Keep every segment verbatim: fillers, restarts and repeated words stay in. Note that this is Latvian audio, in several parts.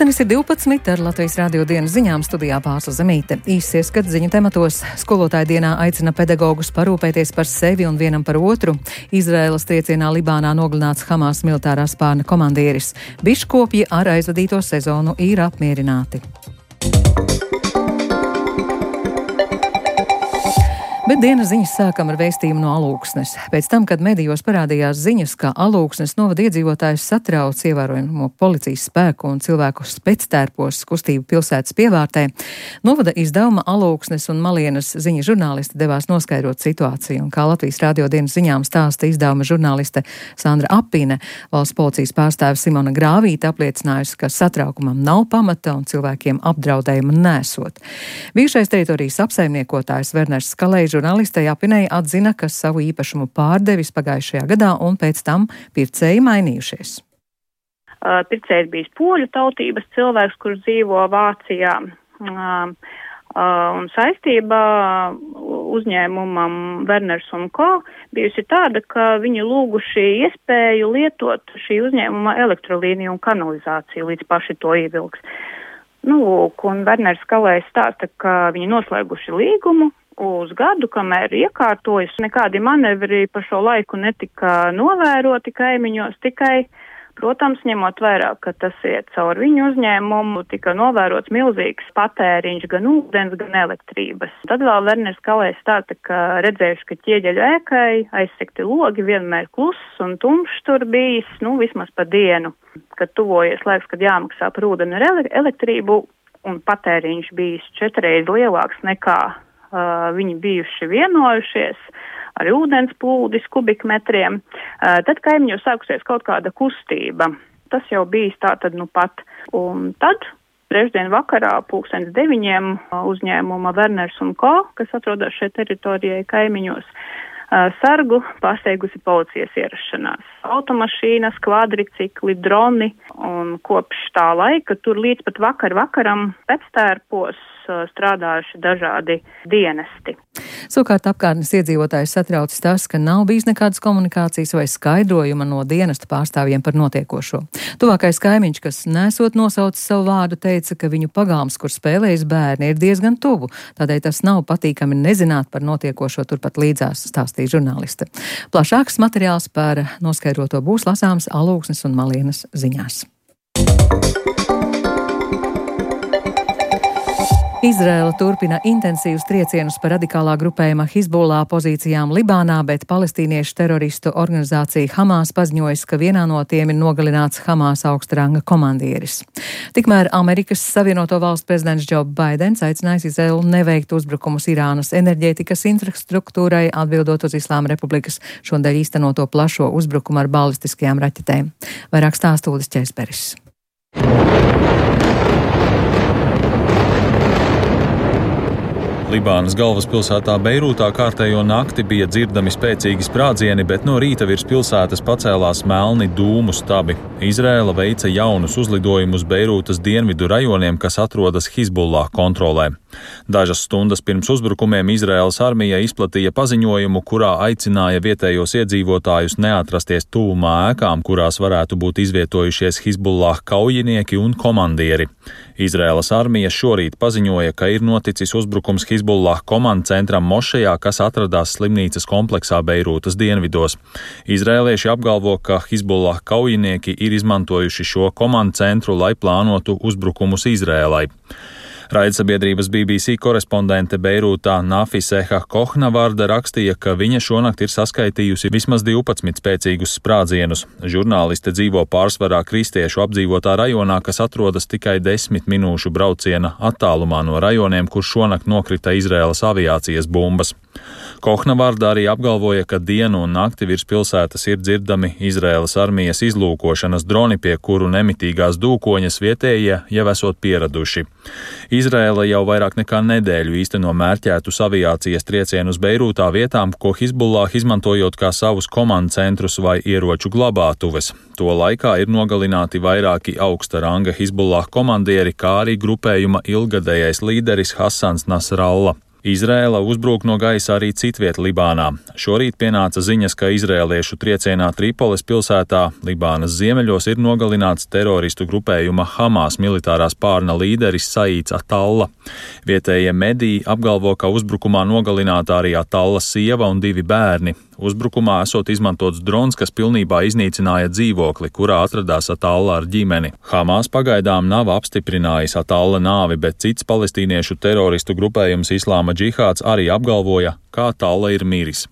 Pulkstenis ir divpadsmit ar Latvijas radio dienas ziņām studijā Pārsla Zemīte. Īsts ieskats ziņu tematos. Skolotāja dienā aicina pedagogus parūpēties par sevi un vienam par otru. Izraēlas triecienā Libānā nogalināts Hamas militārā spārna komandieris. Biškopji ar aizvadīto sezonu ir apmierināti. Bet dienas ziņas sākam ar vēstījumu no Alūksnes. Pēc tam, kad medijos parādījās ziņas, ka Alūksnes novada iedzīvotājus satrauc ievērojamo policijas spēku un cilvēku spectērpos kustību pilsētas pievārtē, novada izdevuma Alūksnes un Malienas ziņa žurnālisti devās noskaidrot situāciju. Un kā Latvijas radio dienas ziņām stāsta izdevuma žurnāliste Sandra Apine, valsts policijas pārstāve Simona Grāvīte apliecinājusi, ka satraukumam nav pamata un cilvēkiem apdraudējuma nesot. Bijušais teritorijas apsaimniekotājs Werners Skalejs žurnālistei Apinei atzina, ka savu īpašumu pārdevis pagājušajā gadā un pēc tam pircēji mainījušies. Uh, pircējs bijis poļu tautības cilvēks, kurš dzīvo Vācijā. Uh, uh, un saistība uzņēmumam Werners un ko bijusi tāda, ka viņi lūguši iespēju lietot šī uzņēmuma elektrolīniju un kanalizāciju, līdz paši to ievilks. Nu, un Werners Skalējs stāsta, ka viņi noslēguši līgumu uz gadu, kamēr iekārtojas. Nekādi manevri pa šo laiku netika novēroti kaimiņos, tikai, protams, ņemot vērā, ka tas iet caur viņu uzņēmumu, tika novērots milzīgs patēriņš gan ūdens, gan elektrības. Tad vēl Werners Skalējs stāsta, ka redzējuši, ka ķieģeļu ēkai aizsekti logi, vienmēr kluss un tumšs tur bijis, nu, vismaz pa dienu. Kad tuvojies laiks, kad jāmaksā par ūdeni ar elektrību, un patēriņš bijis četreiz lielāks nekā Uh, viņi bijuši vienojušies ar ūdens plūdis kubikmetriem, uh, tad kaimiņos sākusies kaut kāda kustība. Tas jau bijis tā tad nu pat. Un tad trešdien vakarā pulkstens deviņiem uh, uzņēmuma Werners un ko, kas atrodas šeit teritorijai kaimiņos, uh, sargu pārsteigusi policijas ierašanās. Automašīnas, kvadricikli, droni, un kopš tā laika tur līdz pat vakar vakaram pēctērpos strādājuši dažādi dienesti. Savukārt apkārtnes iedzīvotājus satraucis tas, ka nav bijis nekādas komunikācijas vai skaidrojuma no dienesta pārstāvjiem par notiekošo. Tuvākais kaimiņš, kas nesot nosaucis savu vārdu, teica, ka viņu pagalms, kur spēlējas bērni, ir diezgan tuvu, tādēļ tas nav patīkami nezināt par notiekošo turpat līdzās, stāstīja žurnāliste. Plašāks materiāls par noskaidroto būs lasāms Alūksnes un Malienas ziņās. Izraēla turpina intensīvus triecienus par radikālā grupējuma Hizbullah pozīcijām Libānā, bet palestīniešu teroristu organizācija Hamas paziņojas, ka vienā no tiem ir nogalināts Hamas augstranga komandieris. Tikmēr Amerikas Savienoto Valstu prezidents Džo Baidens aicinājis Izraēlu neveikt uzbrukumus Irānas enerģētikas infrastruktūrai, atbildot uz Islāma Republikas šodien īstenoto plašo uzbrukumu ar balistiskajām raķetēm. Vairāk stāsta Uldis Česperis. Libānas galvaspilsētā Beirūtā kārtējo nakti bija dzirdami spēcīgi sprādzieni, bet no rīta virs pilsētas pacēlās melni dūmu stabi. Izraēla veica jaunus uzlidojumus Beirūtas dienvidu rajoniem, kas atrodas Hizbullah kontrolē. Dažas stundas pirms uzbrukumiem Izraēlas armija izplatīja paziņojumu, kurā aicināja vietējos iedzīvotājus neatrasties tuvumā ēkām, kurās varētu būt izvietojušies Hizbullah kaujinieki un komandieri. Izraēlas armija šorīt paziņoja, ka ir noticis uzbrukums Hizbullah komandcentram Mošejā, kas atradās slimnīcas kompleksā Beirūtas dienvidos. Izraēlieši apgalvo, ka Hizbullah kaujinieki ir izmantojuši šo komandcentru, lai plānotu uzbrukumus Izraēlai. Raidsabiedrības B B C korespondente Beirūtā Nafiseha Kohnavārda rakstīja, ka viņa šonakt ir saskaitījusi vismaz divpadsmit spēcīgus sprādzienus. Žurnāliste dzīvo pārsvarā kristiešu apdzīvotā rajonā, kas atrodas tikai desmit minūšu brauciena attālumā no rajoniem, kur šonakt nokrita Izraēlas aviācijas bumbas. Kohnavārda arī apgalvoja, ka dienu un nakti virs pilsētas ir dzirdami Izraēlas armijas izlūkošanas droni, pie kuru nemitīgās dūkoņas vietējie jau esot pieraduši. Izraēla jau vairāk nekā nedēļu īsteno mērķētus aviācijas triecienus Beirūtā vietām, ko Hizbullah izmantojot kā savus komandcentrus vai ieroču glabātuves. To laikā ir nogalināti vairāki augsta ranga Hizbullah komandieri, kā arī grupējuma ilgadējais līderis Hasans Nasrallah. Izraēla uzbrūk no gaisa arī citviet Libānā. Šorīt pienāca ziņas, ka izraēliešu triecienā Tripoles pilsētā Libānas ziemeļos ir nogalināts teroristu grupējuma Hamas militārās pārna līderis Saīds Atalla. Vietējie mediji apgalvo, ka uzbrukumā nogalināta arī Atalla sieva un divi bērni. Uzbrukumā esot izmantots drons, kas pilnībā iznīcināja dzīvokli, kurā atradās Atalla ar ģimeni. Hamas pagaidām nav apstiprinājis Atalla nāvi, bet cits palestīniešu teroristu grupējums Islāma džihāds arī apgalvoja, ka Atalla ir miris.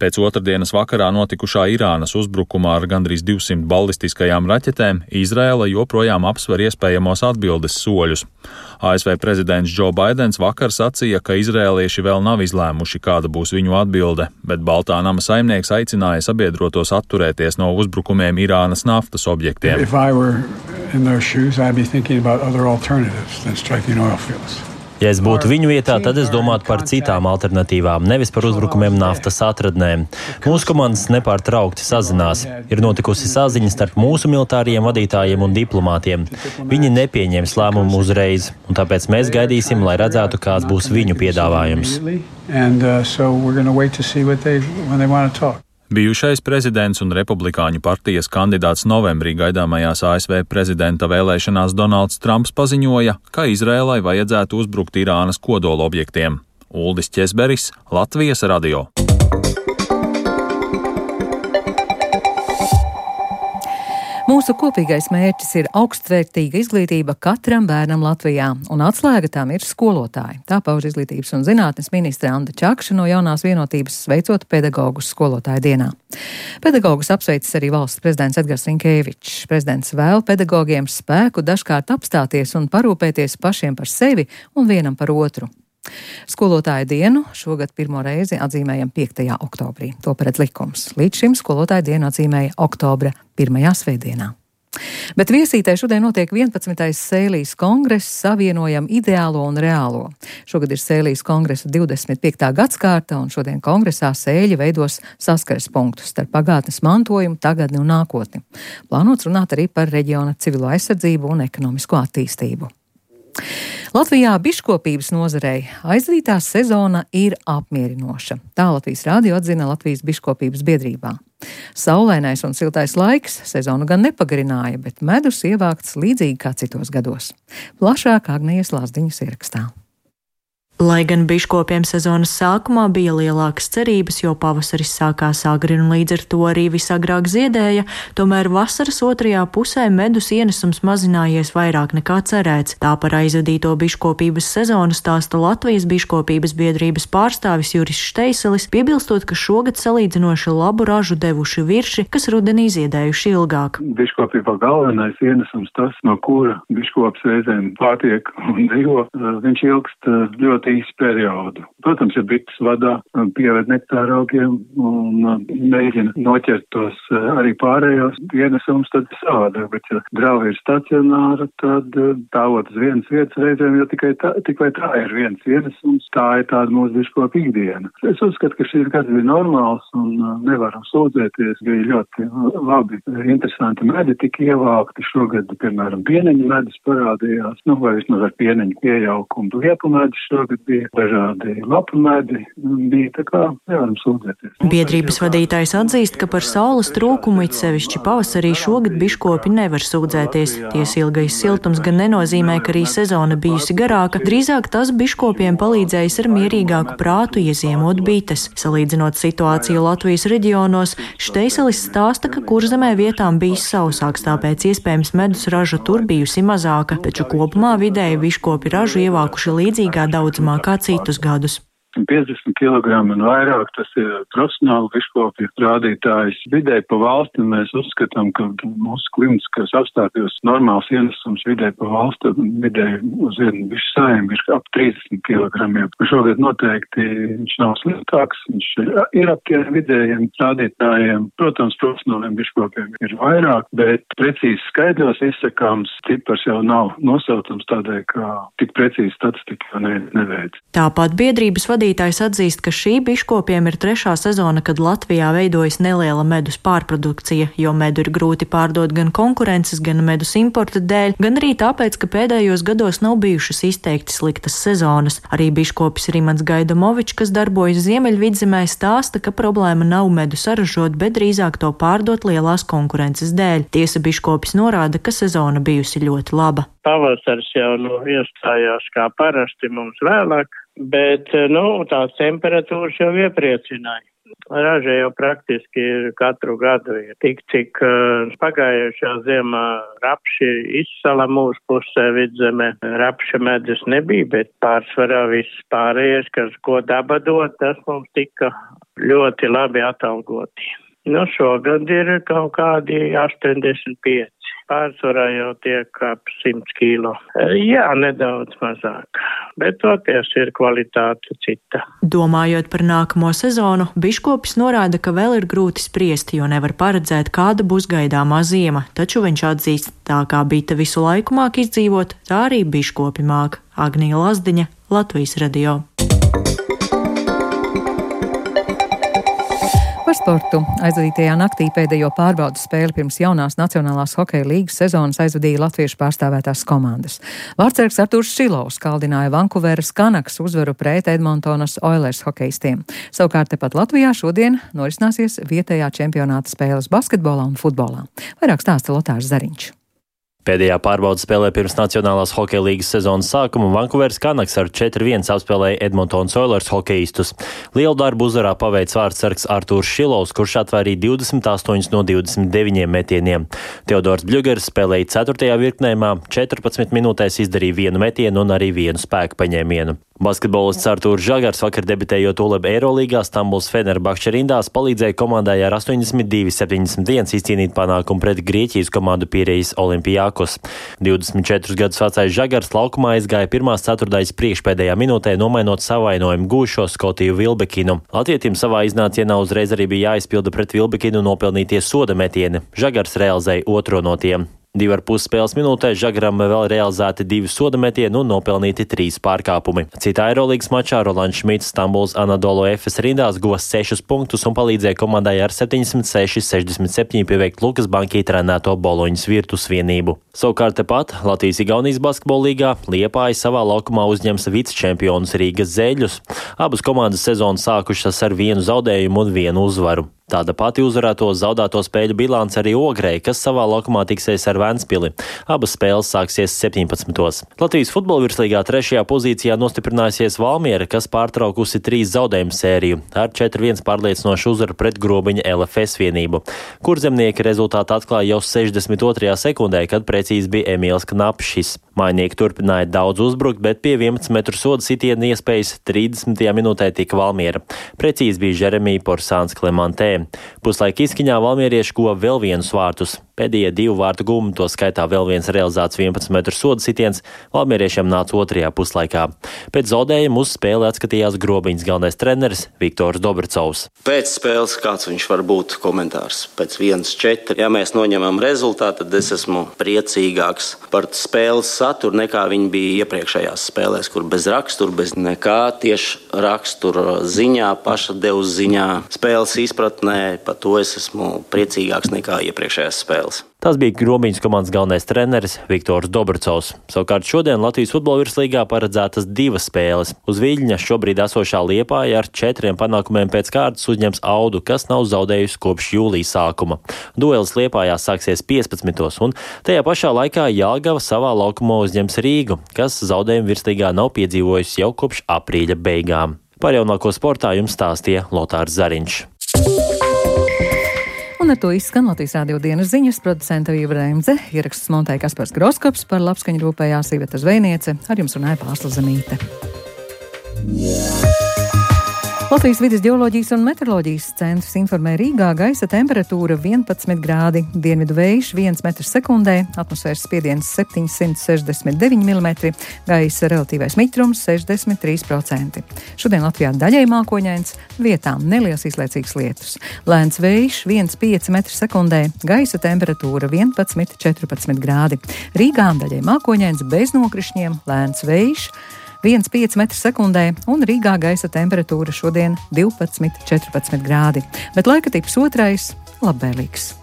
Pēc otrdienas vakarā notikušā Irānas uzbrukumā ar gandrīz divsimt ballistiskajām raķetēm Izraēla joprojām apsver iespējamos atbildes soļus. A S V prezidents Džo Baidens vakar sacīja, ka izraēlieši vēl nav izlēmuši, kāda būs viņu atbilde, bet Baltā nama saimnieks aicināja sabiedrotos atturēties no uzbrukumiem Irānas naftas objektiem. If I were in those shoes, I'd be thinking about other alternatives than striking oil fields. Ja es būtu viņu vietā, tad es domātu par citām alternatīvām, nevis par uzbrukumiem naftas atradnēm. Mūsu komandas nepārtraukti sazinās. Ir notikusi saziņa starp mūsu militāriem vadītājiem un diplomātiem. Viņi nepieņems lēmumu uzreiz, un tāpēc mēs gaidīsim, lai redzētu, kāds būs viņu piedāvājums. Bijušais prezidents un republikāņu partijas kandidāts novembrī gaidāmajās A S V prezidenta vēlēšanās Donalds Trumps paziņoja, ka Izrēlai vajadzētu uzbrukt Irānas kodola objektiem. Uldis Ķesberis, Latvijas radio. Mūsu kopīgais mērķis ir augstvērtīga izglītība katram bērnam Latvijā, un atslēga tam ir skolotāji. Tā pauž izglītības un zinātnes ministre Anda Čakša no Jaunās vienotības, sveicot pedagogus skolotāju dienā. Pedagogus apsveicis arī valsts prezidents Edgars Rinkēvičs. Prezidents vēl pedagogiem spēku dažkārt apstāties un parūpēties pašiem par sevi un vienam par otru. Skolotāju dienu šogad pirmo reizi atzīmējam piektajā oktobrī. To paredz likums. Līdz šim skolotāju dienu atzīmēja oktobra pirmajā svētdienā. Bet Viesītē šodien notiek vienpadsmitais Sēlijas kongress Savienojam ideālo un reālo. Šogad ir Sēlijas kongresa divdesmit piektā gadskārta, un šodien kongresā sēļi veidos saskares punktus starp pagātnes mantojumu, tagadni un nākotni. Plānots runāt arī par reģiona civilo aizsardzību un ekonomisko attīstību. Latvijā biškopības nozarei aizdītā sezona ir apmierinoša. Tā Latvijas rādio atzina Latvijas biškopības biedrībā. Saulainais un siltais laiks sezonu gan nepagarināja, bet medus ievākts līdzīgi kā citos gados. Plašāk Agnijas Lāsdiņas ierakstā. Lai gan biškopiem sezonas sākumā bija lielākas cerības, jo pavasaris sākās agri un līdz ar to arī visagrāk ziedēja, tomēr vasaras otrajā pusē medus ienesums mazinājies vairāk nekā cerēts. Tā par aizvadīto biškopības sezonu stāsta Latvijas biškopības biedrības pārstāvis Juris Šteiselis, piebilstot, ka šogad salīdzinoši labu ražu devuši virši, kas rudenī ziedējuši ilgāk. Biškopībā galvenais ienesums tas, no kura biškops reizēm pārtiek un dzīvo, viņš ilgst ļoti īsu periodu. Protams, ja bites vadā pieved nektāra augiem un mēģina noķert tos arī pārējos ienesums, tad savādāk, bet ja draugi ir stacionāra, tad tāvot uz vienas vietas reizēm, jo tikai tā, tikai tā ir viens ienesums, tā ir tāda mūsu biškopa ikdiena. Es uzskatu, ka šis gads bija normāls un nevaram sūdzēties, bija ļoti labi, interesanti medi tika ievākti, šogad, piemēram, pieneņu medus parādījās, nu vai vismaz ar pieneņu iejaukumu liepu medus šogad bija dažādi lapu medi, bija tā kā nevaram sūdzēties. Biedrības vadītājs atzīst, ka par saules trūkumu it sevišķi pavasarī šogad biškopi nevar sūdzēties. Ties ilgais siltums gan nenozīmē, ka arī sezona bijusi garāka, drīzāk tas biškopiem palīdzējis ar mierīgāku prātu ieziemot bites. Salīdzinot situāciju Latvijas reģionos, Šteiselis stāsta, ka Kurzemē vietām bijis sausāks, tāpēc iespējams medus raža tur bijusi mazāka, taču kopumā vidēji biškopi ražu ievākuši līdzīgā daudzumā kā citus gadus. piecdesmit kilogrami un vairāk, tas ir profesionāli biškopi rādītājs. Vidēji pa valsti mēs uzskatām, ka mūsu klimatiskās apstākļos normāls ienesums vidēji pa valsti, vidēji uz vienu bišu saimju ir ap trīsdesmit kilogramiem. Šogad noteikti viņš nav sliktāks, viņš ir ap tiem vidējiem rādītājiem. Protams, profesionāliem biškopiem ir vairāk, bet precīzi skaidros izsakāms cipars jau nav nosaucams tādēļ, ka tik precīzi statistika ne, neveic. Tāpat biedrības vadītājs vadītājs atzīst, ka šī biškopiem ir trešā sezona, kad Latvijā veidojas neliela medus pārprodukcija, jo medu ir grūti pārdot gan konkurences, gan medus importa dēļ, gan arī tāpēc, ka pēdējos gados nav bijušas izteikti sliktas sezonas. Arī biškopis Rimants Gaidamovičs, kas darbojas Ziemeļvidzemē, stāsta, ka problēma nav medu saražot, bet drīzāk to pārdot lielās konkurences dēļ. Tiesa biškopis norāda, ka sezona bijusi ļoti laba. Pavasars jau nu, iestājās kā parasti mums vēlāk, bet nu, tās temperatūras jau iepriecināja. Raža jau praktiski ir katru gadu ir tik, cik uh, pagājušā ziemā rapši izsala mūsu pusē Vidzemē. Rapša medus nebija, bet pārsvarā viss pārējais, kas ko daba dod, tas mums tika ļoti labi atalgoti. Nu, šogad ir kaut kādi astoņdesmit pieci. Pārsvarā jau tiek ap simt kilo. Jā, nedaudz mazāk, bet toties ir kvalitāte cita. Domājot par nākamo sezonu, biškopis norāda, ka vēl ir grūti spriest, jo nevar paredzēt, kāda būs gaidāmā ziema, taču viņš atzīst, tā kā bita visu laiku māk izdzīvot, tā arī biškopi māk. Agnija Lazdiņa, Latvijas radio. Par sportu. Aizvadītajā naktī pēdējo pārbaudas spēli pirms jaunās Nacionālās hokeja līgas sezonas aizvadīja latviešu pārstāvētās komandas. Vārtsargs Artūrs Šilovs kaldināja Vankūveras Canucks uzvaru pret Edmontonas Oilers hokeistiem. Savukārt tepat Latvijā šodien norisināsies vietējā čempionāta spēles basketbolā un futbolā. Vairāk stāsta Lotārs Zariņš. Pēdējā pārbaudas spēlē pirms Nacionālās hokeja līgas sezonas sākuma Vankūveras Canucks ar četri viens apspēlēja Edmontonas Oilers hokeistus. Lielu darbu uzvarā paveic vārtsargs Artūrs Šilovs, kurš atvairīja divdesmit astoņus no divdesmit deviņiem metieniem. Teodors Bļugers spēlēja ceturtajā virknējumā, četrpadsmit minūtēs izdarīja vienu metienu un arī vienu spēku paņēmienu. Basketbolists Artūrs Žagars vakar debitējot ULEB Eirolīgā Stambuls Fenerbahče rindās palīdzēja komandai ar astoņdesmit divi septiņdesmit viens izcīnīt panākumu pret Grieķijas komandu Pirejas Olimpijakos. divdesmit četrus gadus vecais Žagars laukumā aizgāja pirmās ceturtdaļas priekšpēdējā minūtē, nomainot savainojumu gūšo Skotiju Vilbekinu. Latvietim savā iznācienā uzreiz arī bija jāizpilda pret Vilbekinu nopelnītie soda metieni. Žagars realizēja otro no tiem. Divi ar pus spēles minūtēs Žagaram vēl realizēti divi soda metieni un nopelnīti trīs pārkāpumi. Citā Eirolīgas mačā Rolands Šmits Stambuls Anadolu Efes rindās guva sešus punktus un palīdzēja komandai ar septiņdesmit seši sešdesmit septiņi pieveikt Lukas Bankī trenēto Boloņas Virtus vienību. Savukārt tepat Latvijas-Igaunijas basketbola līgā Liepāja savā laukumā uzņems vicečempionus Rīgas Zeļļus. Abas komandas sezonu sākušas ar vienu zaudējumu un vienu uzvaru. Tāda pati uzvarēto zaudēto spēļu bilance arī Ogrei, kas savā laukumā tiksies ar Ventspili. Abas spēles sāksies septiņpadsmitos. Latvijas futbola virslīgā trešajā pozīcijā nostiprinājusies Valmiera, kas pārtraukusi trīs zaudējumu sēriju ar četri viens pārliecinošu uzvaru pret Grobiņa L F S vienību. Kurzemnieki rezultātu atklāja jau sešdesmit otrajā sekundē, kad precīzi bija Emīls Knapšis. Mājnieki turpināja daudz uzbrukt, bet pie vienpadsmit metru soda sitiena iespējas trīsdesmitajā minūtē tika Valmiera. Precīzi bija Žeremija Porsāns Klemantē. Puslaika izskaņā valmierieši guva vēl vienus vārtus. Pēdējie divu vārtu gūmi, to skaitā vēl viens realizēts vienpadsmit metru soda sitiens, valmieriešiem nāca otrajā puslaikā. Pēc zaudējuma uz spēli atskatījās Grobiņas galvenais treneris Viktors Dobrcovs. Pēc spēles kāds viņš var būt komentārs? Pēc viens četri. Ja mēs noņemam rezultātu, tad es esmu priecīgāks par spēles saturu nekā viņi bija iepriekšējās spēlēs, kur bez rakstura, bez nekā tieši rakstura ziņā, paša devus ziņā, spēles izpratnē, par to es esmu priecīgāks nekā iepriekšējās spēles. Tas bija Grobiņas komandas galvenais treneris Viktors Dobrcovs. Savukārt šodien Latvijas futbola virslīgā paredzētas divas spēles. Uz Viļņa šobrīd esošā Liepāja ar četriem panākumiem pēc kārtas uzņems Audu, kas nav zaudējusi kopš jūlija sākuma. Duelis Liepājā sāksies piecpadsmitos, un tajā pašā laikā Jelgava savā laukumā uzņems Rīgu, kas zaudējumu virslīgā nav piedzīvojusi jau kopš aprīļa beigām. Par jaunāko sportā jums stāstīja Lotārs Zariņš. Un ar to izskan Latvijas radio dienas ziņas, producenta Vīva Reimdze, ieraksts montēja Kaspars Groskops, par labskaņu rūpējās Iveta Zvejniece, ar jums runāja Pāsla Zemīte. Latvijas vides ģeoloģijas un meteoroloģijas centrs informē Rīgā gaisa temperatūra vienpadsmit grādi, dienvidu vējš viens metrs sekundē, atmosfēras spiediens septiņsimt sešdesmit deviņi milimetri, gaisa relatīvais mitrums sešdesmit trīs procenti. Šodien Latvijā daļai mākoņains, vietām neliels izlaicīgs lietus. Lēns vējš viens komats pieci metri sekundē, gaisa temperatūra vienpadsmit četrpadsmit grādi. Rīgā daļai mākoņains bez nokrišņiem, lēns vējš viens komats pieci metri sekundē, un Rīgā gaisa temperatūra šodien divpadsmit četrpadsmit grādi, bet laika tips otrais - labvēlīgs.